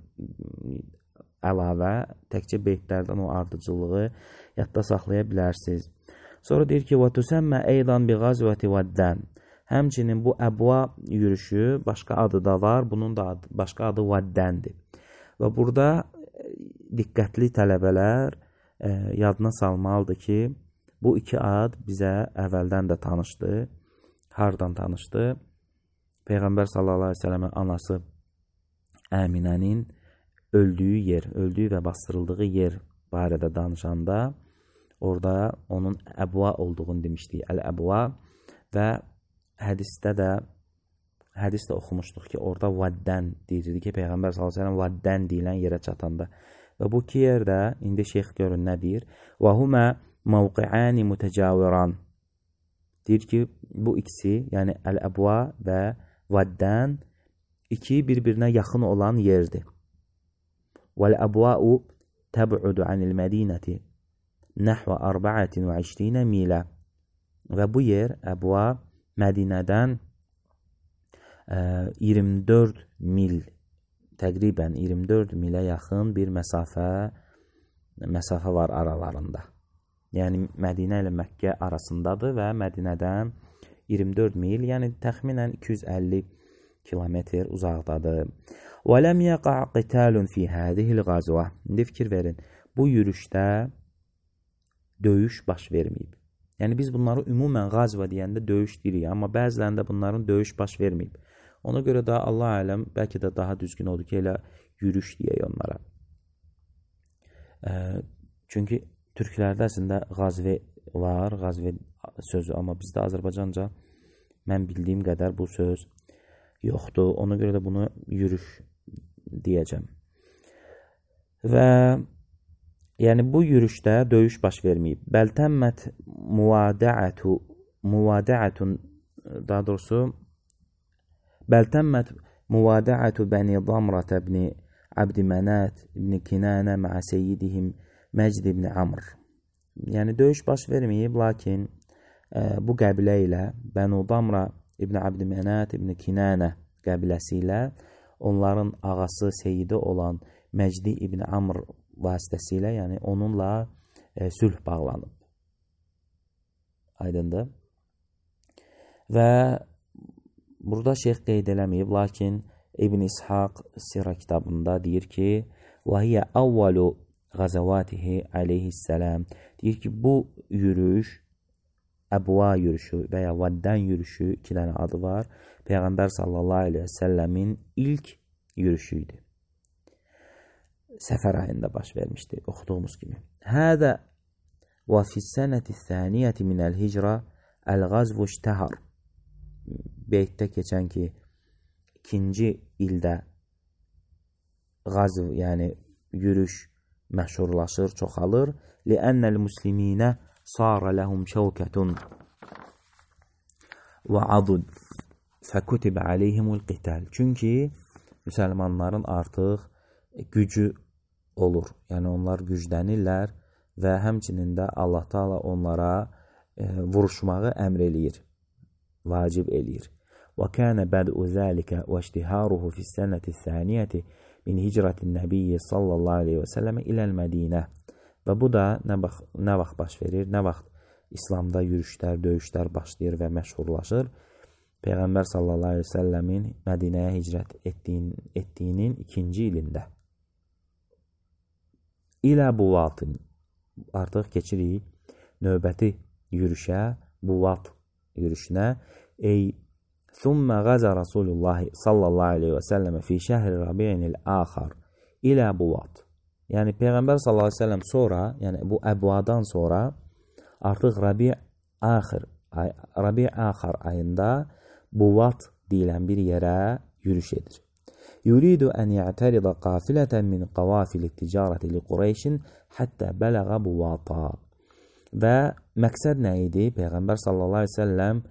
Speaker 1: əlavə, təkcə beytlərdən o ardıcıllığı yadda saxlaya bilərsiniz. Sonra deyir ki, وَتُسَمَّ اَيْضًا بِغَزْوَةِ وَدَّنِ. Həmçinin bu əbva yürüşü başqa adı da var. Bunun da adı, başqa adı Vaddəndir. Və burada diqqətli tələbələr e, yadına salmalıdır ki, bu iki ad bizə əvvəldən də tanışdı. Hardan tanışdı? Peyğəmbər sallallahu əleyhi və səlləmin anası Əminənin öldüyü yer, öldüyü və bastırıldığı yer barədə danışanda orada onun əbva olduğunu demişdik. Əl-əbva və hədisdə də hədis də oxumuşduq ki, orada vaddən deyirdi ki, Peyğəmbər sallallahu əleyhi və səlləm vaddən deyilən yerə çatanda. Və bu iki yerdə indi şeyx görün nə deyir? Və humə mövqi'ani mütəcaviran. Deyir ki, bu ikisi, yəni əl-əbva və vaddən iki bir-birinə yaxın olan yerdir. Vəl-əbva'u təb'udu anil mədinəti nəhvə arba'atin və işrinə milə. Və bu yer, əbva, Mədinədən e, iyirmi dörd mil, təqribən iyirmi dörd milə yaxın bir məsafə, məsafə var aralarında. Yəni, Mədinə ilə Məkkə arasındadır və Mədinədən iyirmi dörd mil, yəni təxminən iki yüz əlli kilometr uzaqdadır. Və ləm yəqa' qitalun fi hədihil qazvə. İndi fikir verin, bu yürüşdə döyüş baş verməyib. Yəni biz bunları ümumən qazva deyəndə döyüş deyirik, amma bəzilərində bunların döyüş baş verməyib. Ona görə də Allah aləm bəlkə də daha düzgün odur ki, elə yürüş deyək onlara. E, çünki türklərdə əslində qazve var, qazve sözü, amma bizdə Azərbaycanca mən bildiyim qədər bu söz yoxdur. Ona görə də bunu yürüş deyəcəm. Və yəni bu yürüşdə döyüş baş verməyib. Bəltəmmət muvadəətü muvadəətun daha doğrusu bəltəmmət muvadəətü bəni Damrat ibn Abdimənat ibn Kinanə mə'ə seyyidihim Məcd ibn Amr. Yəni döyüş baş verməyib, lakin e, bu qəbilə ilə Bənu Damra ibn Abdimənat ibn Kinanə qəbiləsi ilə onların ağası seyidi olan Məcdi ibn Amr vasitəsilə, yəni onunla e, sülh bağlanıb. Aydındır. Və burada şeyx qeyd eləməyib, lakin İbn İshaq Sira kitabında deyir ki, وَهِيَ أَوَّلُ غَزَوَاتِهِ عَلَيْهِ deyir ki, bu yürüyüş Əbva yürüyüşü və ya Vaddən yürüyüşü, iki dənə adı var. Peyğəmbər sallallahu aleyhi və səlləmin ilk yürüyüşüydü. Səfər ayında baş vermişdi, oxuduğumuz kimi. Hədə və fissənəti thəniyyəti minəl hicra əl-qazvu iştəhar. Beytdə keçən ki, ikinci ildə qazv, yəni yürüyüş məşhurlaşır, çoxalır. Li'ənnəl musliminə sarə ləhum şəvkətun və adud fəkutibə aleyhimul qital. Çünki müsəlmanların artıq gücü olur. Yəni onlar güclənirlər və həmçinin də Allah Taala onlara e, vuruşmağı əmr eləyir, vacib eləyir. Və kana bad'u zalika və iştiharuhu fi sənəti thaniyyəti min hicratin nəbiyyi sallallahu aleyhi və səlləmə iləl Mədinə. Və bu da nə vaxt, nə vaxt baş verir, nə vaxt İslamda yürüşlər, döyüşlər başlayır və məşhurlaşır. Peyğəmbər sallallahu aleyhi və səlləmin Mədinəyə hicrət etdiyin, etdiyinin ikinci ilində. İlə Buvatın, artıq keçirik növbəti yürüşə, Buvat yürüşünə. Ey, thumma qaza Rasulullah sallallahu aleyhi və səlləmə fi şəhri Rabi'inil axar ilə Buvat. Yəni Peyğəmbər sallallahu aleyhi və səlləm sonra, yəni bu Əbvadan sonra artıq Rabi' axir, Rabi' axar ayında Buvat deyilən bir yerə yürüş edir. Yuridu ən ya'tərida qafilətən min qavafili ticarəti li Qureyşin həttə bələğə Buvata. Və məqsəd nə idi? Peyğəmbər sallallahu aleyhi və səlləm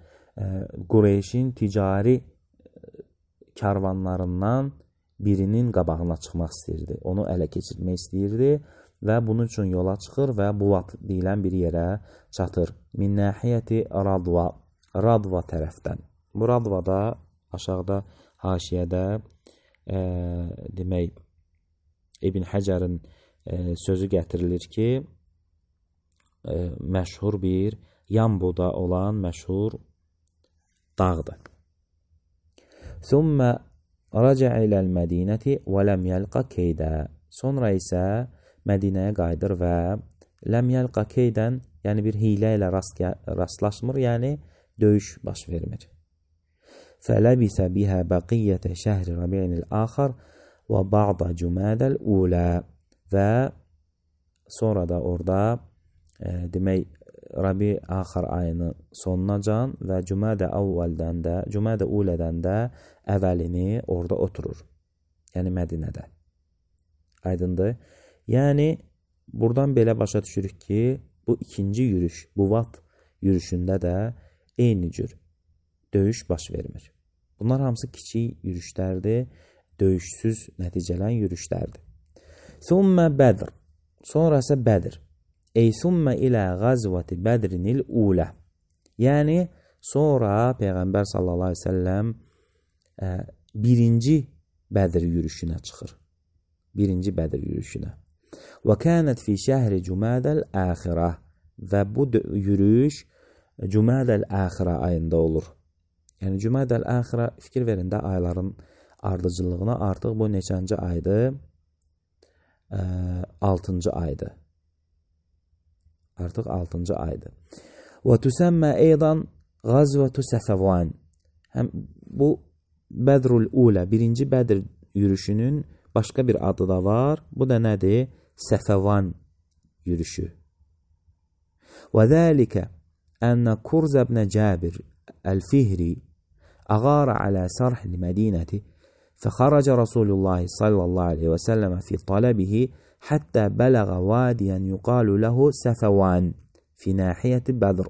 Speaker 1: Qureyşin ticari karvanlarından birinin qabağına çıxmaq istəyirdi. Onu ələ keçirmək istəyirdi və bunun üçün yola çıxır və Buvat deyilən bir yerə çatır. Min nəhiyyəti Radva, Radva tərəfdən. Bu Radvada aşağıda haşiyədə e, demək İbn Həcərin e, sözü gətirilir ki, e, məşhur bir Yambuda olan məşhur dağdır. Thumma raca'a iləl Mədinəti və ləm yəlqa keydə. Sonra isə Mədinəyə qayıdır və ləm yəlqa keydən, yəni bir hilə ilə rast, rastlaşmır, yəni döyüş baş vermir. Fələbisə bihə bəqiyyətə şəhri Rabi'inil axar və ba'da cümədəl ulə. Və sonra da orada e, demək Rabi axar ayının sonunacan və Cümədə əvvəldən də, Cümədə ulədən də əvvəlini orada oturur. Yəni Mədinədə. Aydındır. Yəni buradan belə başa düşürük ki, bu ikinci yürüş, Buvat yürüşündə də eyni cür döyüş baş vermir. Bunlar hamısı kiçik yürüşlərdir, döyüşsüz nəticələn yürüşlərdir. Thumma Bədr. Sonra isə Bədir. Ey thumma ilə qazvati Bədrinil ulə. Yəni sonra Peyğəmbər sallallahu aleyhi ve səlləm e, birinci Bədir yürüşünə çıxır. Birinci Bədir yürüşünə. Və kənət fi şəhri Cümədəl əxirə. Və bu yürüyüş Cümədəl əxirə ayında olur. Yəni Cümədəl əxirə, fikir verin də ayların ardıcıllığına, artıq bu neçənci aydır? E, altıncı aydır. Artıq altıncı aydır. Və tüsəmmə eydan Qazvətu Səfəvan. Həm bu Bədrul Ulə, birinci Bədr yürüşünün başqa bir adı da var. Bu da nədir? Səfəvan yürüşü. Və zəlikə ənə Kurz ibn Cabir el-Fihri أغار على سرح المدينة فخرج رسول الله صلى الله عليه وسلم في طلبه حتى بلغ واديا يقال له سفوان في ناحية بدر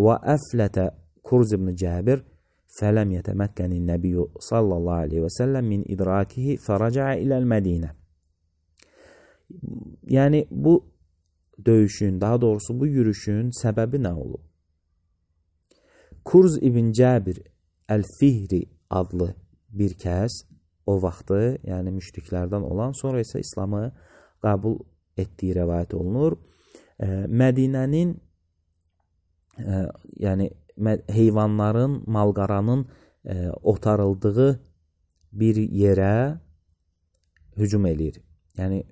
Speaker 1: وأفلت كرز بن جابر فلم يتمكن النبي صلى الله عليه وسلم من إدراكه فرجع إلى المدينة. Yani bu döyüşün, daha doğrusu bu yürüşün səbəbi nə olub? Kurz ibn Cabir el-Fihri adlı bir kəs o vaxtı, yəni müşriklərdən olan, sonra isə İslamı qəbul etdiyi rəvayət olunur. E, Mədinənin e, yəni heyvanların, malqaranın e, otarıldığı bir yerə hücum eləyir. Yəni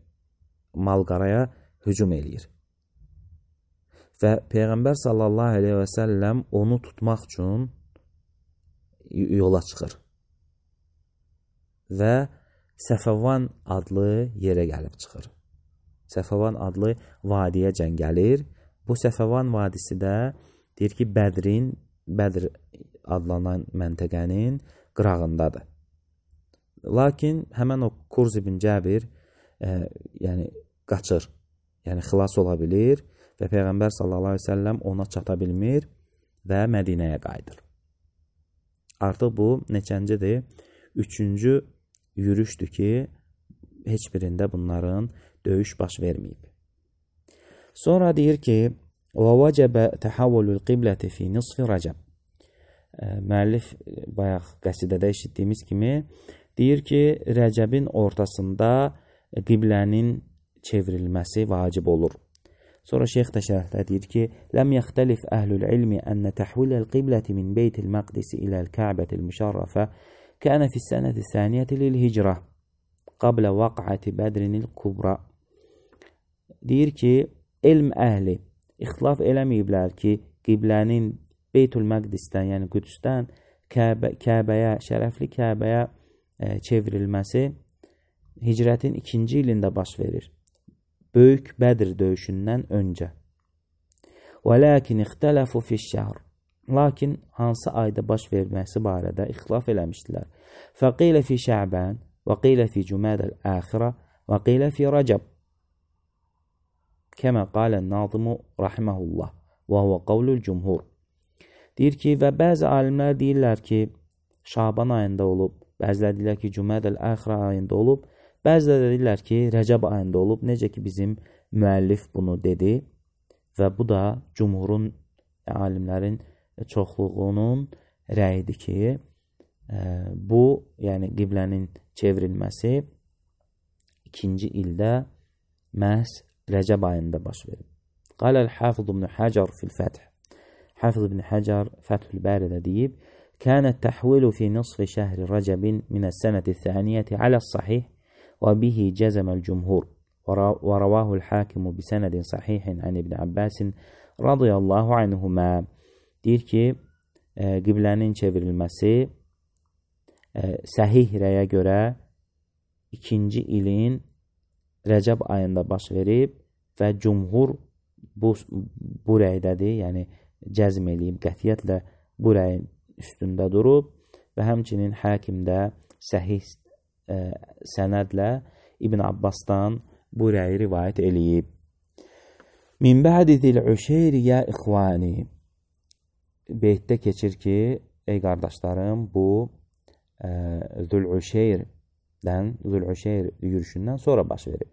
Speaker 1: malqaraya hücum eləyir. Və Peyğəmbər sallallahu aleyhi və səlləm onu tutmaq üçün yola çıxır. Və Səfəvan adlı yerə gəlib çıxır. Səfəvan adlı vadiyəcən gəlir. Bu Səfəvan vadisi də deyir ki, Bədrin, Bədr adlanan məntəqənin qırağındadır. Lakin həmən o Kurz ibn Cabir e, yəni qaçır, yəni xilas ola bilir və Peyğəmbər sallallahu aleyhi ve sellem ona çata bilmir və Mədinəyə qayıdır. Artıq bu neçəncidir? Üçüncü yürüşdür ki, heç birində bunların döyüş baş verməyib. Sonra deyir ki, وَوَجَبَ تَحَوُّلُ الْقِبْلَةِ فِي نِصْفِ رَجَبٍ. Müəllif bayaq qəsidədə eşitdiyimiz kimi deyir ki, Rəcəbin ortasında qiblənin çevrilməsi vacib olur. Sonra şeyx də şərhdə deyir ki, لَمْ يَخْتَلِفْ أَهْلُ الْعِلْمِ أَنَّ تَحْوِلَ الْقِبْلَةِ مِنْ بَيْتِ الْمَقْدِسِ إِلَى الْكَعْبَةِ الْمُشَرَّفَةِ كَانَ فِي السَّنَةِ الثَّانِيَةِ لِلْهِجْرَةِ قَبْلَ وَقْعَةِ بَدْرٍ الْكُبْرَى. Deyir ki, elm əhli ixtilaf eləməyiblər ki, qiblənin Beytül Məqdisdən, yəni Qüdsdən Kəbə, Kəbəyə, şərəfli Kəbəyə e, çevrilməsi hicrətin ikinci ilində baş verir. Böyük Bədr döyüşündən öncə. وَلَكِنْ اِخْتَلَفُ فِي الشَّهْرِ. Lakin hansı ayda baş verməsi barədə ixtilaf eləmişdilər. فَقِيلَ فِي شَعْبَانِ وَقِيلَ فِي جُمَادَ الْآخِرَةِ وَقِيلَ فِي رَجَبٍ كَمَا قَالَ النَّاظِمُ رَحِمَهُ اللّٰهِ وَهُوَ قَوْلُ الْجُمْهُرِ. Deyir ki, və bəzi alimlər deyirlər ki, Şaban ayında olub, bəziləri deyirlər ki, Cüməd el-Əxirə ayında olub, bəziləri deyirlər ki, Rəcəb ayında olub, necə ki bizim müəllif bunu dedi və bu da cümhurun, alimlərin çoxluğunun rəyidir ki, e, bu, yəni qiblənin çevrilməsi ikinci ildə məhz Rəcəb ayında baş verib. Qaləl Hafız ibn Hacar fil-Fəth. Hafız ibn Hacar Fəthül Bəridə deyib, Kənət təhvilu fi nisfi şəhri Rəcəbin minəs-sənəti thəniyyəti aləs-sahih və bihi cəzəməl cümhur və rəvahul hakimu bisənədin sahihin ən İbn Abbasin radiyallahu anhumə. Deyir ki, e, qiblənin çevrilməsi e, səhih rəyə görə ikinci ilin Rəcəb ayında baş verib və cümhur bu, bu rəydədir, yəni cəzm eləyib, qətiyyətlə bu rəyin üstündə durub və həmçinin həkimdə səhih e, sənədlə İbn Abbasdan bu rəyi rivayət eləyib. Min bə'di zil-üşeyri ya ixvani. Beytdə keçir ki, ey qardaşlarım, bu e, Zül-Üşeyrdən, Zül-Üşeyr yürüşündən sonra baş verib.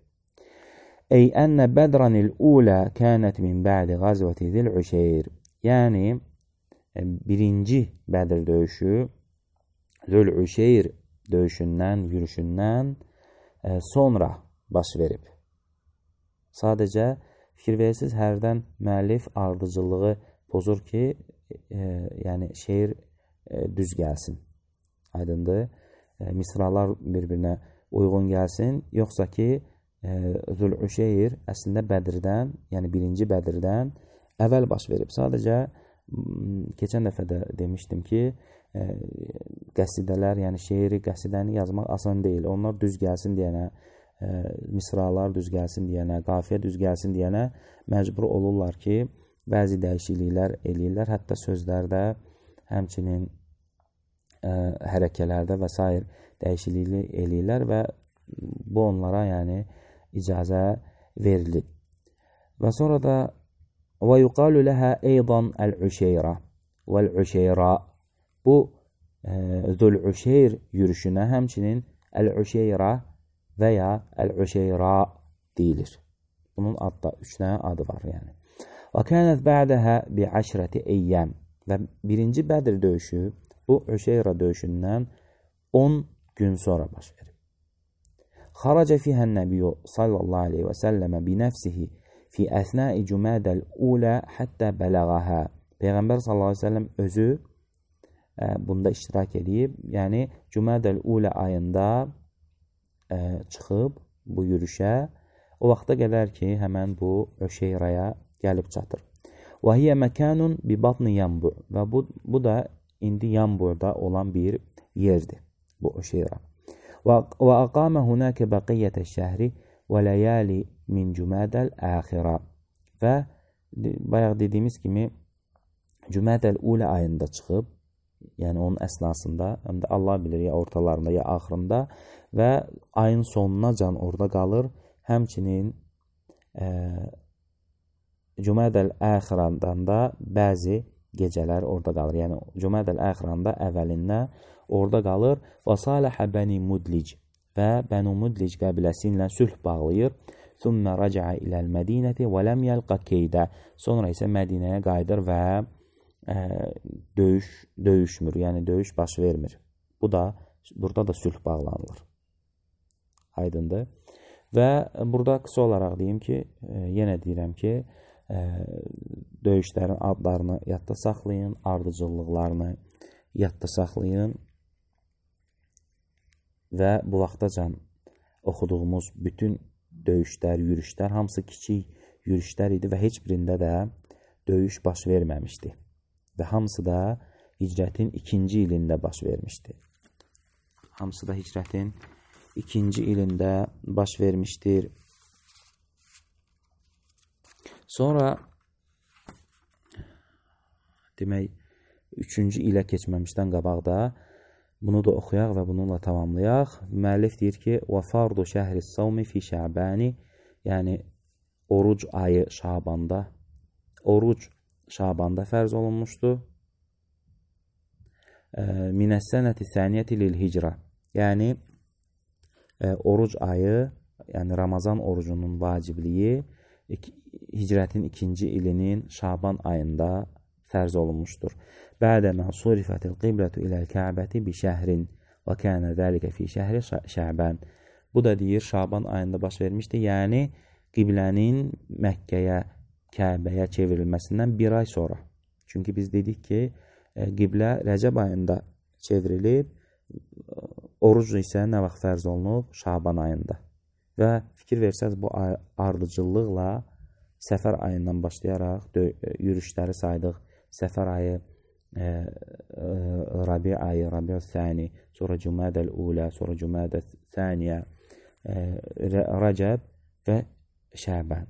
Speaker 1: Ey ənə bədranil ulə kənət min bə'di qazvəti Zül-Üşeyr. Yəni, birinci Bədir döyüşü Zül-Üşeyr döyüşündən, yürüşündən e, sonra baş verib. Sadəcə fikir verirsiniz, hərdən müəllif ardıcılığı pozur ki, e, yəni şeir e, düz gəlsin. Aydındır. E, misralar bir-birinə uyğun gəlsin. Yoxsa ki, Zülüşeyr əslində Bədirdən, yəni birinci Bədirdən əvvəl baş verib. Sadəcə keçən dəfə də demişdim ki, ə, qəsidələr, yəni şeiri, qəsidəni yazmaq asan deyil. Onlar düz gəlsin deyənə, ə, misralar düz gəlsin deyənə, qafiyə düz gəlsin deyənə məcbur olurlar ki, bəzi dəyişikliklər eləyirlər. Hətta sözlərdə, həmçinin ə, hərəkələrdə və s. dəyişiklik eləyirlər və bu onlara yəni icazə verilib. Və sonra da və yuqalu ləhə eydan əl-üşeyrə vəl-üşeyrə, bu Zülüşeyr yürüşünə həmçinin əl-üşeyrə və ya əl-üşeyrə deyilir. Bunun adda üç dənə adı var yəni. Və kənət bə'dəhə bi'əşrəti eyyəm, və birinci Bədir döyüşü bu Üşeyrə döyüşündən on gün sonra baş verir. Xaraca fihən nəbiyyu sallallahu aleyhi və səlləmə binəfsihi fi əsnai cümədəl ulə həttə bələğəhə. Peyğəmbər sallallahu aleyhi və səlləm özü ə, bunda iştirak edib, yəni Cümədəl ulə ayında ə, çıxıb bu yürüşə, o vaxta qədər ki, həmən bu Öşeyraya gəlib çatır. Və hiyə məkanun bi batni Yanbu, və bu, bu da indi Yanburda olan bir yerdir, bu Öşeyra. Və aqamə hunəkə bəqiyyətə şəhri və ləyəli min cümədəl əxirə. Və bayaq dediyimiz kimi Cümədəl ulə ayında çıxıb, yəni onun əsnasında, həm də Allah bilir ya ortalarında ya axırında və ayın sonuna can orada qalır. Həmçinin e, Cümədəl əxirədən da bəzi gecələr orada qalır. Yəni Cümədəl əxirəndə əvvəlində orada qalır. Və saləhə Bəni Mudlic, və Bənu Mudlic qəbiləsi ilə sülh bağlayır. Thumma raca'a iləl Mədinəti və ləm yəlqa keydə. Sonra isə Mədinəyə qayıdır və ə, döyüş, döyüşmür, yəni döyüş baş vermir. Bu da, burada da sülh bağlanılır. Aydındır. Və burada qısa olaraq deyim ki, ə, yenə deyirəm ki, ə, döyüşlərin adlarını yadda saxlayın, ardıcıllıqlarını yadda saxlayın. Və bu vaxtacan oxuduğumuz bütün döyüşlər, yürüşlər, hamısı kiçik yürüşlər idi və heç birində də döyüş baş verməmişdi. Və hamısı da hicrətin ikinci ilində baş vermişdi. Hamısı da hicrətin ikinci ilində baş vermişdir. Sonra demək, üçüncü ilə keçməmişdən qabaqda bunu da oxuyaq və bununla tamamlayaq. Müəllif deyir ki, və fardu şəhri savmi fi şəbəni, yəni oruc ayı Şabanda, oruc Şabanda fərz olunmuşdur. Minəs-sənəti səniyyəti lil-hicrə, yəni e, oruc ayı, yəni Ramazan orucunun vacibliyi hicrətin ikinci ilinin Şaban ayında fərz olunmuşdur. Bədəmə surifətil qiblətu iləl kəbəti bi şəhrin və kənə dəlikə fi şəhri şəbən. Bu da deyir, Şaban ayında baş vermişdir. Yəni, qiblənin Məkkəyə, Kəbəyə çevrilməsindən bir ay sonra. Çünki biz dedik ki, qiblə Rəcəb ayında çevrilib, oruc isə nə vaxt fərz olunub? Şaban ayında. Və fikir versəz, bu ardıcıllıqla Səfər ayından başlayaraq yürüşləri saydıq. Səfər ayı, e, e, Rabi ayı, Rabi-ül-Thani, sonra Cümədəl-Ulə, sonra Cümədəl-Thaniyə, e, Rəcəb və Şəbən.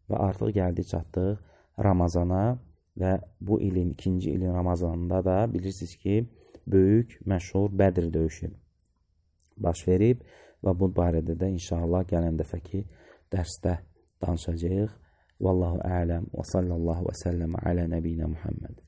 Speaker 1: Və artıq gəldik, çatdıq Ramazana və bu ilin, ikinci ilin Ramazanında da bilirsiniz ki, böyük, məşhur Bədir döyüşü baş verib və bu barədə də inşallah gələn dəfəki dərsdə danışacağıq. Vallahu a'lam və sallallahu və səlləm alə nəbiyyə Muhammed.